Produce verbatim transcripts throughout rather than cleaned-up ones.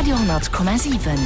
Radio honnert Komma siwen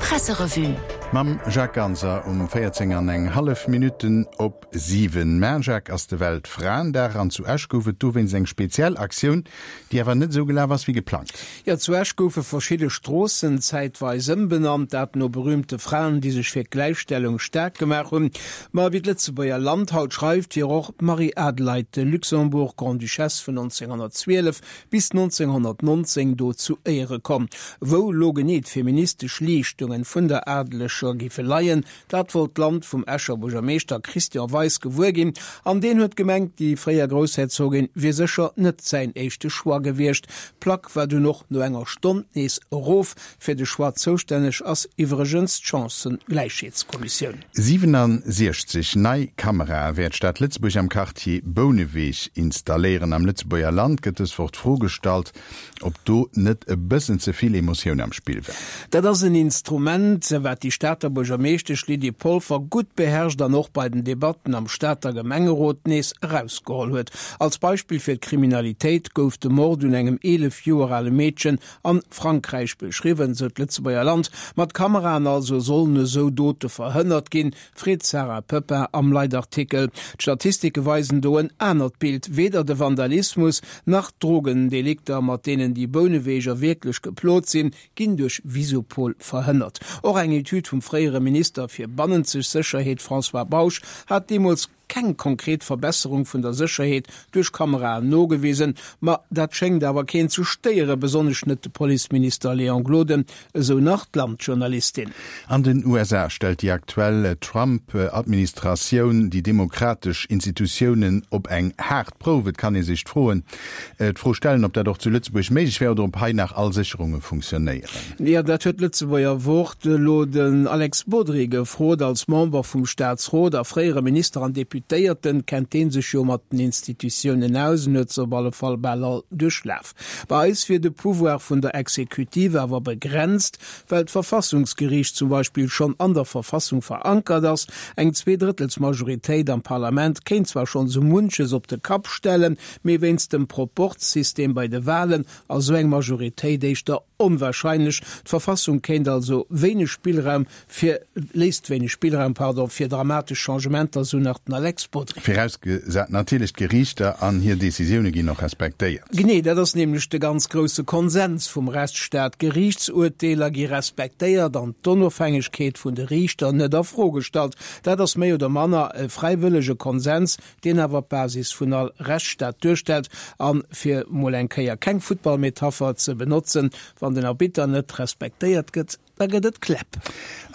Presserevue. Mam Jacques Ganser um véierzéng an eng hallef Minutten op siwen. Mä Jacques, ass de Weltfraendag an zu Esch gouf et dowéinst eng speziell Aktioun, déi awer net esou gelaf ass wéi geplangt. Jo, zu Esch goufe verschidde Stroossen zäitweis ëmbenannt, dat no berüümte Fraen, déi sech fir d'Gläichstellung staark gemaach hunn. Ma wéi d'Lëtzebuerger Land haut schreift, wier och d'Marie-Adelaide de Luxembourg, Grande-Duchesse vun nonzénghonnertzwielef bis nonzénghonnertnonzéng, do zu Éiere komm. Wou lo genee d'feministesch Leeschtungen vun der Adeleger géife leien, dat wollt d'Land vum Escher Buergermeeschter Christian Weis gewuer ginn. An deen huet gemengt, déi fréier Groussherzogin wier sécher net säin éischte Choix gewiescht. D'Plack war dunn och no enger Stonn nees erof. Fir de Choix zoustänneg ass iwwregens d'Chancëgläichheetskommissioun. siwenunsiechzeg nei Kamerae wäert d'Stad Lëtzebuerg am Quartier Bouneweg installéieren. Am Lëtzebuerger Land gëtt dës Woch d'Fro gestallt, ob do net e bëssen ze vill Emotioun am Spill war. Dat ass en Instrument, wat déi Stater Buergermeeschtesch Lydie Polfer gutt beherrscht an och bei den Debatten am Stater Gemengerot nees erausgeholl huet. Als Beispill fir d'Kriminalitéit gouf de Mord un engem eelef Joer ale Meedchen a Frankräich beschriwwen, sou d'Lëtzebuerger Land. Mat Kameraen also sollen esou Dote verhënnert ginn, freet d'Sarah Poepping am Leitartikel. D'Statistike weisen do en anert Bild, Weder de Vandalismus nach d'Drogendelikter, mat deenen déi Bouneweger wierklech geplot sinn, ginn duerch Visupol verhënnert. Och eng Etüd vum fréiere Minister fir bannenzeg Sécherheet François Bausch hat deemools keng konkret Verbesserung vun der Sécherheet duerch Kameraen nogewisen. Ma dat schéngt awer keen ze stéieren, besonnesch net de Policeminister Léon Gloden, esou nach d'Land-Journalistin. An den U S A stellt déi aktuell Trump-Administratioun déi demokratesch Institutiounen op eng haart Prouf. Et kann ee sech d'Froen, d'Fro stellen, ob dat och zu Lëtzebuerg méiglech wär oder ob hei nach all Sécherunge funktionéieren. Jo, dat huet d'Lëtzebuerger Wort elo den Alex Bodry gefrot. Als Member vum Staatsrot a fréiere Minister an Deputéierten kennt dee sech jo mat den Institutiounen aus en huet se op alle Fall bal all duerchlaf. Bei eis wier de Pouvoir vun der Exekutive awer begrenzt, well d'Verfassungsgeriicht zum Beispill schonn an der Verfassung verankert ass. Eng Zweedrëttelsmajoritéit am Parlament kéint zwar schonn sou munches op de Kapp stellen, mee wéinst dem Proporzsystem bei de Walen ass esou eng Majoritéit éischter onwahrscheinlech. D'Verfassung kéint also wéineg Spillraum fir, léisst wéineg Spillraum, pardon, fir dramatesch Changementer, sou nach den Alex Bodry. Virausgesat natierlech, d'Geriichter an hir Decisioune ginn och respektéiert. Genee, dat ass nämlech de ganz grousse Konsens vum Rechtsstaat. Geriichtsurteeler gi respektéiert an d'Onofhängegkeet vun de Riichter net a Fro gestallt. Dat ass méi oder manner e fräiwëllege Konsens, deen awer d'Basis vun all Rechtsstaat duerstellt. A fir mol eng Kéier keng Futtballmetapher ze benotzen, Wann den Arbitter net respektéiert gëtt, da gëtt et Kläpp.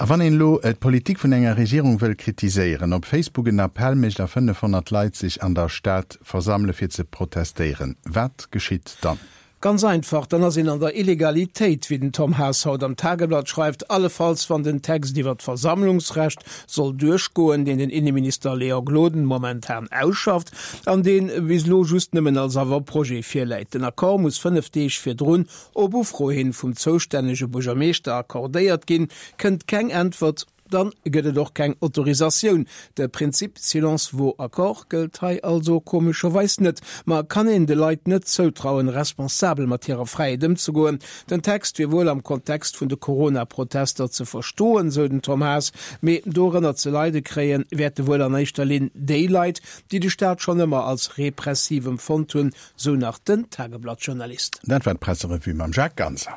A wann een elo d'Politik vun enger Regierung wëll kritiséieren, op Facebook en Appell mécht a fënnefhonnert Leit sech an der Stad versammele fir ze protestéieren, wat geschitt dann? Ganz einfach, dann ass een an der Illegalitéit, wéi den Tom Haas haut am Tageblatt schreift, allefalls wann den Text iwwer d'Versammlungsrecht soll duerchgoen, deen den Inneminister Léon Gloden momentan ausschafft an dee bis elo just nëmmen als Avant-projet virläit. Den Accord muss fënnef Deeg virdrun op Ufro hin vum zoustännege Buergermeeschter accordéiert ginn. Kënnt keng Äntwert, dann gëtt et och keng Autorisatioun. De Prinzip silence vaut accord gëllt hei also komescherweis net. Ma kann een de Leit net zoutrauen, responsabel mat hirer Fräiheet ëmzegoen? Den Text wier wuel am Kontext vun de Corona-Protester ze verstoen, sou den Tom Haas, mee dorënner ze leide kréien, wäerte wuel an éischter Linn déi Leit, déi de Staat schonn ëmmer als repressiv empfonnt hunn, sou nach den Tageblatt-Journalist. Dat war d'Presserevue mam Jacques Ganser.